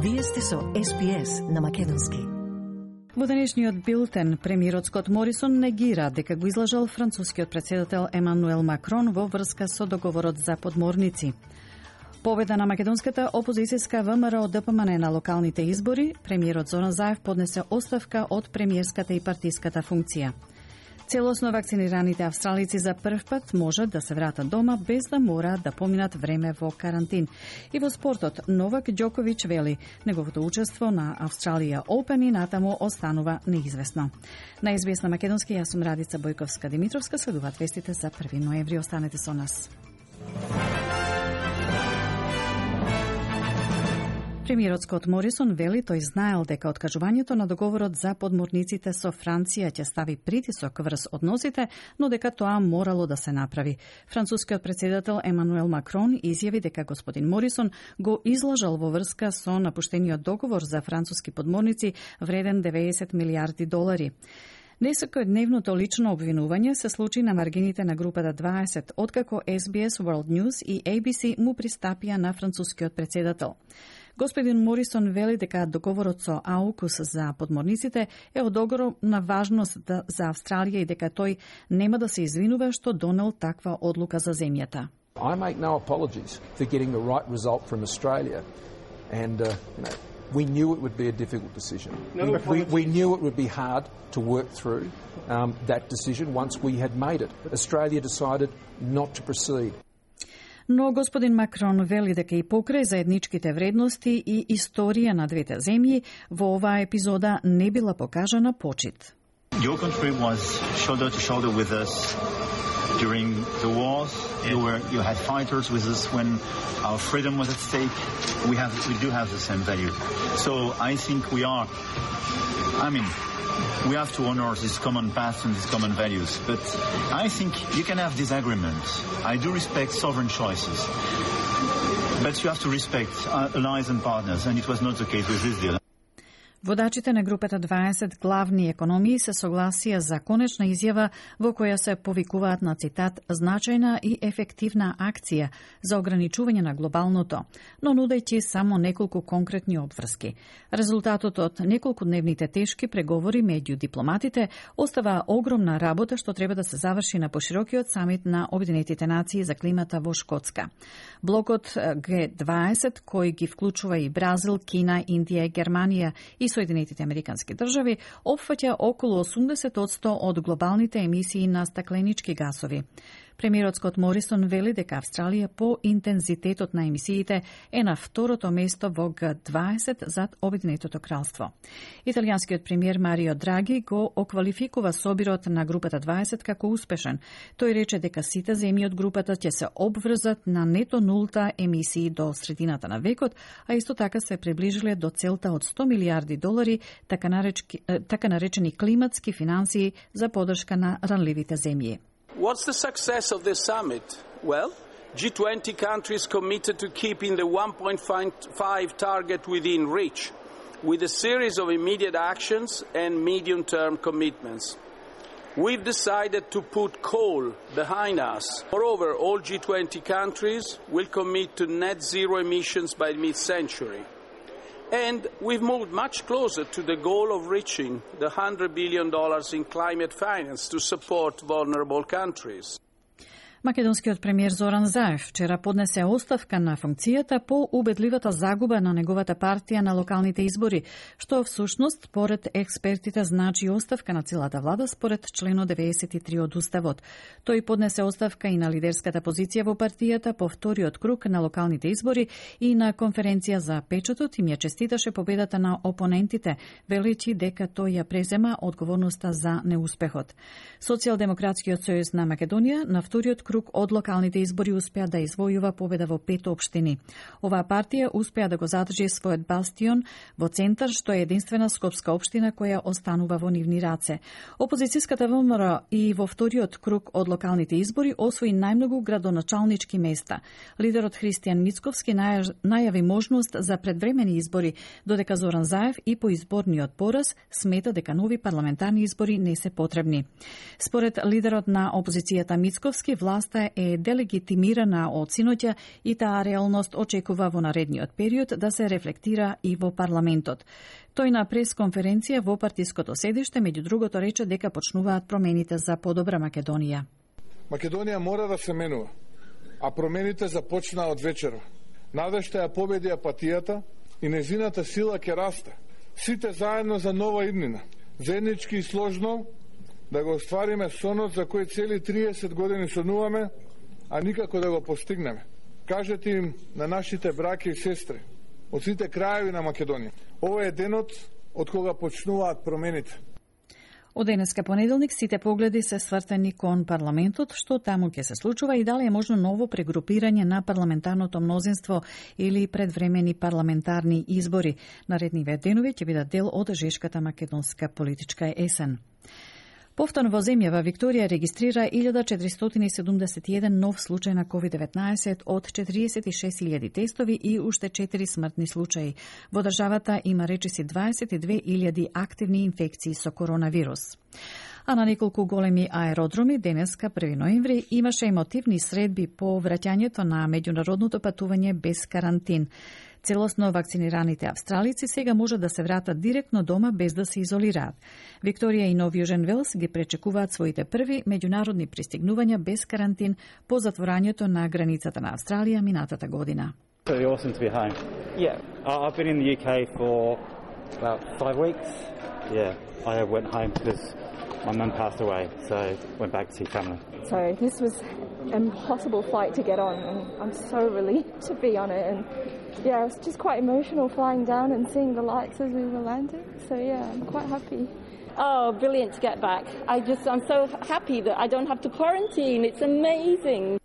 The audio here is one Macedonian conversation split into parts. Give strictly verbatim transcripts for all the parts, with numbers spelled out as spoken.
Вие сте со Ес Би Ес на македонски. Во денешниот билтен, премиерот Скот Морисон негира дека го излажал францускиот председател Емануел Макрон во врска со договорот за подморници. Победа на македонската опозицијска ВМРО Д П М Н на локалните избори, премиерот Зоран Заев поднесе оставка од премиерската и партиската функција. Целосно вакцинираните австралици за прв пат можат да се вратат дома без да мора да поминат време во карантин. И во спортот, Новак Ѓоковиќ вели, неговото учество на Австралија Опен и натаму останува неизвестно. На Ес Би Ес на македонски, јас сум Радица Бојковска-Димитровска, следуваат вестите за први ноември. Останете со нас. Премиерот Скот Морисон вели тој знаел дека откажувањето на договорот за подморниците со Франција ќе стави притисок врз односите, но дека тоа морало да се направи. Францускиот председател Емануел Макрон изјави дека господин Морисон го излажал во врска со напуштениот договор за француски подморници вреден деветдесет милијарди долари. Несекојдневното лично обвинување се случи на маргините на групата дваесет, откако Ес Би Ес World News и А Б С му пристапија на францускиот председател. Господин Морисон вели дека договорот со АУКУС за подморниците е од огромна важност за Австралија и дека тој нема да се извинува што донел таква одлука за земјата. I make no apologies for getting the right result from Australia, and uh, you know, we knew it would be a difficult decision. No we, we, we knew it would be hard to work through um, that decision once we had made it. Australia decided not to proceed. Но господин Макрон вели дека и покрај заедничките вредности и историја на двете земји, во оваа епизода не била покажана почит. Your country was shoulder to shoulder with us during the wars. You were, you had fighters with us when our freedom was at stake. We have, we do have the same value. So I think we are, I mean, we have to honor this common path and these common values. But I think you can have disagreements. I do respect sovereign choices. But you have to respect allies and partners, and it was not the case with this deal. Водачите на групата дваесет главни економии се согласија за конечна изјава во која се повикуваат на цитат значајна и ефективна акција за ограничување на глобалното, но нудејќи само неколку конкретни обврски. Резултатот од неколкудневните тешки преговори меѓу дипломатите остава огромна работа што треба да се заврши на поширокиот самит на Обединетите нации за климата во Шкотска. Блокот Г дваесет, кој ги вклучува и Бразил, Кина, Индија, Германија и Соединетите Американски држави, опфаќа околу осумдесет одсто од глобалните емисии на стакленички гасови. Премиерот Скот Морисон вели дека Австралија по интензитетот на емисиите е на второто место во Г дваесет зад Обединетото кралство. Италијанскиот премиер Марио Драги го оквалификува собирот на групата дваесет како успешен. Тој рече дека сите земји од групата ќе се обврзат на нето нулта емисии до средината на векот, а исто така се приближиле до целта од сто милијарди долари, така, наречки, така наречени климатски финансии за поддршка на ранливите земји. What's the success of this summit? Well, G twenty countries committed to keeping the one point five target within reach, with a series of immediate actions and medium-term commitments. We've decided to put coal behind us. Moreover, all G twenty countries will commit to net zero emissions by mid-century. And we've moved much closer to the goal of reaching the one hundred billion dollars in climate finance to support vulnerable countries. Македонскиот премиер Зоран Заев вчера поднесе оставка на функцијата по убедливата загуба на неговата партија на локалните избори, што всушност, според експертите, значи оставка на целата влада според член деветдесет и три од Уставот. Тој поднесе оставка и на лидерската позиција во партијата по вториот круг на локалните избори и на конференција за печатот им ја честиташе победата на опонентите, велејќи дека тој ја презема одговорноста за неуспехот. Социјалдемократскиот сојуз на Македонија на вториот круг од локалните избори успеа да извојува победа во пет општини. Оваа партија успеа да го задржи својот бастион во центар, што е единствена скопска општина која останува во нивни раце. Опозицијската ВМРО и во вториот круг од локалните избори освои најмногу градоначалнички места. Лидерот Христијан Мицковски најави можност за предвремени избори, додека Зоран Заев и по изборниот пораз смета дека нови парламентарни избори не се потребни. Според лидерот на опозицијата Мицковски, власт власта е делегитимирана од синоќа и таа реалност очекува во наредниот период да се рефлектира и во парламентот. Тој на пресконференција во партиското седиште, меѓу другото, рече дека почнуваат промените за подобра Македонија. Македонија мора да се менува, а промените започнаа од вечера. Надежта ја победи апатијата и незината сила ќе расте. Сите заедно за нова иднина. Заеднички и сложно да го оствариме сонот за кој цели триесет години сонуваме, а никако да го постигнеме. Кажете им на нашите браќа и сестри од сите краеви на Македонија. Ова е денот од кога почнуваат промените. Од денеска понеделник сите погледи се свртени кон парламентот, што таму ќе се случува и дали е можно ново прегрупирање на парламентарното мнозинство или предвремени парламентарни избори. Наредниве денови ќе бидат дел од жешката македонска политичка есен. Повторно во земјава Викторија регистрира илјада четиристотини и седумдесет и еден нов случај на ковид деветнаесет од четириесет и шест илјади тестови и уште четири смртни случаи. Во државата има речиси дваесет и две илјади активни инфекции со коронавирус. А на неколку големи аеродроми денеска први ноември имаше емотивни средби по враќањето на меѓународното патување без карантин. Целосно вакцинираните австралици сега може да се вратат директно дома без да се изолираат. Викторија и Нов Јужен Велс ги пречекуваат своите први меѓународни пристигнувања без карантин по затворањето на границата на Австралија минатата година. Really awesome to be home. Yeah, I've been in the U K for about five weeks. Yeah, I went home because my mum passed away, so went back to see family. So this was an impossible flight to get on, and I'm so relieved to be on it. And yeah, it was just quite emotional flying down and seeing the lights as we were landing. So yeah, I'm quite happy. Oh, brilliant to get back. I just, I'm so happy that I don't have to quarantine. It's amazing.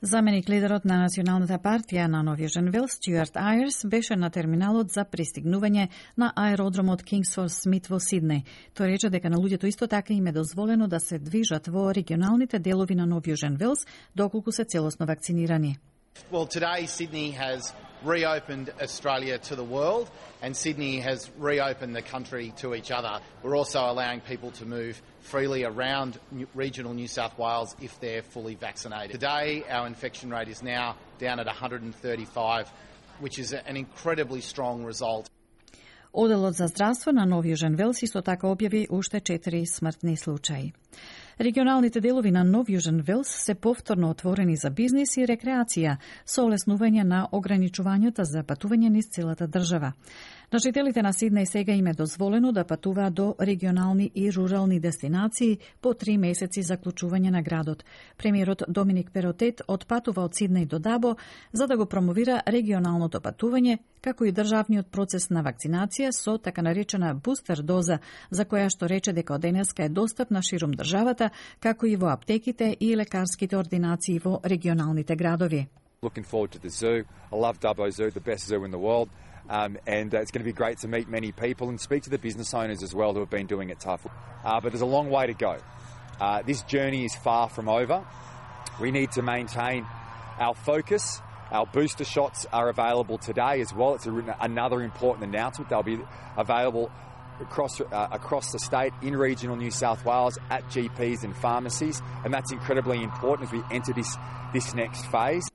Заменик лидерот на Националната партија на Нов Јужен Велс, Стюарт Ајерс, беше на терминалот за пристигнување на аеродромот Кингсфорс Смит во Сиднеј. Тој рече дека на луѓето исто така им е дозволено да се движат во регионалните делови на Нов Јужен Велс доколку се целосно вакцинирани. Well, today Sydney has reopened Australia to the world, and Sydney has reopened the country to each other. We're also allowing people to move freely around regional New South Wales if they're fully vaccinated. Today, our infection rate is now down at one hundred thirty-five, which is an incredibly strong result. Оделот за здравство на Нов Јужен Велс исто така објави уште четири смртни случаи. Регионалните делови на Нов Јужен Велс се повторно отворени за бизнис и рекреација со олеснување на ограничувањата за патување низ целата држава. На жителите на Сиднеј сега им е дозволено да патуваат до регионални и рурални дестинации по три месеци заклучување на градот. Премиерот Доминик Перотет отпатува од Сиднеј до Дабо за да го промовира регионалното патување, како и државниот процес на вакцинација со така наречена бустер доза, за која што рече дека од денеска е достапна ширум државата, како и во аптеките и лекарските ординации во регионалните градови. Looking forward to the zoo. I love Dubbo Zoo, the best zoo in the world. Um, and uh, it's going to be great to meet many people and speak to the business owners as well who have been doing it tough. Uh, but there's a long way to go. Uh, this journey is far from over. We need to maintain our focus. Our booster shots are available today as well. It's a, another important announcement. They'll be available across uh, across the state in regional New South Wales at G Ps and pharmacies, and that's incredibly important as we enter this this next phase.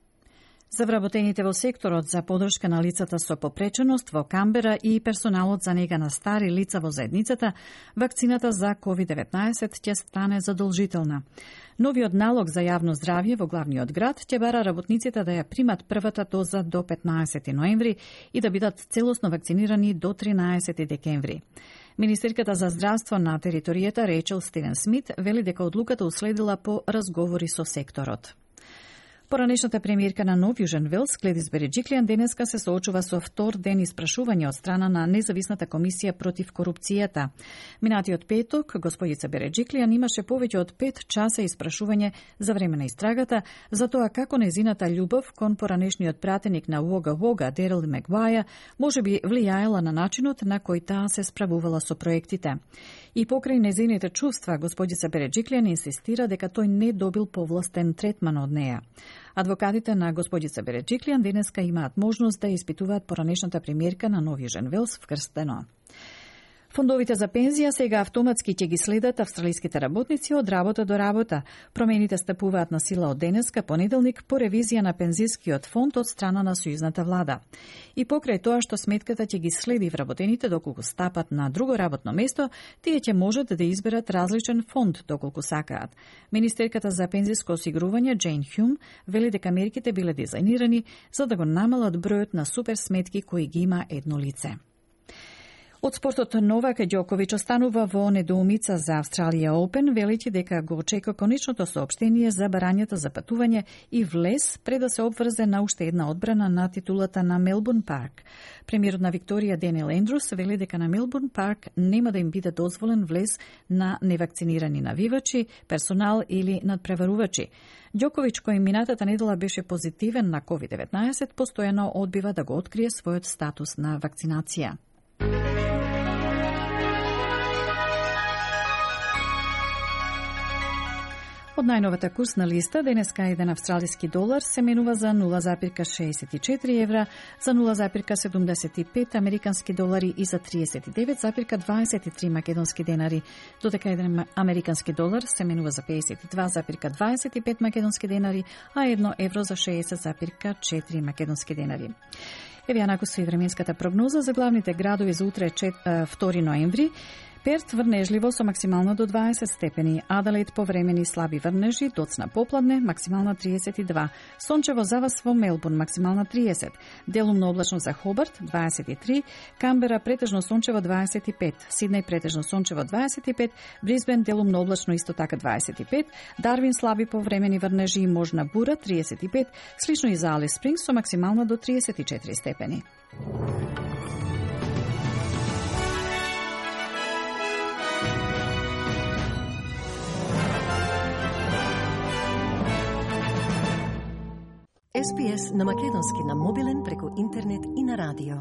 За вработените во секторот за подршка на лицата со попреченост во Камбера и персоналот за нега на стари лица во заедницата, вакцината за ковид деветнаесет ќе стане задолжителна. Новиот налог за јавно здравје во главниот град ќе бара работниците да ја примат првата доза до петнаесети ноември и да бидат целосно вакцинирани до тринаесети декември. Министерката за здравство на територијата Рейчел Стивен Смит вели дека одлуката уследила по разговори со секторот. Поранешната премиерка на Нов Јужен Велс, Гледис Береджиклијан, денеска се соочува со втор ден испрашување од страна на независната комисија против корупцијата. Минатиот петок, господица Береджиклијан имаше повеќе од пет часа испрашување за време на истрагата за тоа како незината љубов кон поранешниот пратеник на Уога Уога, Дерил Мегваја, може би влијаела на начинот на кој таа се справувала со проектите. И покрај незините чувства, господица Береджиклијан инсистира дека тој не добил повластен третман од неа. Адвокатите на господица Береджиклијан денеска имаат можност да испитуваат поранешната премиерка на Нов Јужен Велс вкрстено. Фондовите за пензија сега автоматски ќе ги следат австралиските работници од работа до работа. Промените стапуваат на сила од денеска, понеделник, по ревизија на пензискиот фонд од страна на сојузната влада. И покрај тоа што сметката ќе ги следи вработените доколку стапат на друго работно место, тие ќе можат да изберат различен фонд доколку сакаат. Министерката за пензиско осигурување Джейн Хјум вели дека мерките биле дизајнирани за да го намалат бројот на суперсметки кои ги има едно лице. Од спортот Новак Ѓоковиќ останува во недоумица за Австралија Open, велејќи дека го очекува конечното соопштение за барањата за патување и влез пред да се обврзе на уште една одбрана на титулата на Мелбурн Парк. Премиерот на Викторија Денил Ендрус вели дека на Мелбурн Парк нема да им биде дозволен влез на невакцинирани навивачи, персонал или надпреварувачи. Ѓоковиќ, кој минатата недела беше позитивен на ковид деветнаесет, постојано одбива да го открие својот статус на вакцинација. Од најновата курсна листа, денеска еден австралиски долар се менува за нула зарез шеесет и четири евра, за нула зарез седумдесет и пет американски долари и за триесет и девет зарез дваесет и три македонски денари, додека еден американски долар се менува за пеесет и два зарез дваесет и пет македонски денари, а едно евро за шеесет зарез четири македонски денари. Еве ја накусва и временската прогноза за главните градови за утре втори ноември. Перт врнежливо со максимална до дваесет степени, Аделаид повремени слаби врнежи, доцна попладне, максимална триесет и два, сончево за вас во Мелбурн, максимална триесет, делумно облачно за Хобарт, дваесет и три, Камбера претежно сончево дваесет и пет, Сиднеј претежно сончево дваесет и пет, Брисбен делумно облачно исто така дваесет и пет, Дарвин слаби повремени врнежи и можна бура триесет и пет, слично и за Алис Спрингс со максимална до триесет и четири степени. Ес Би Ес на македонски на мобилен преку интернет и на радио.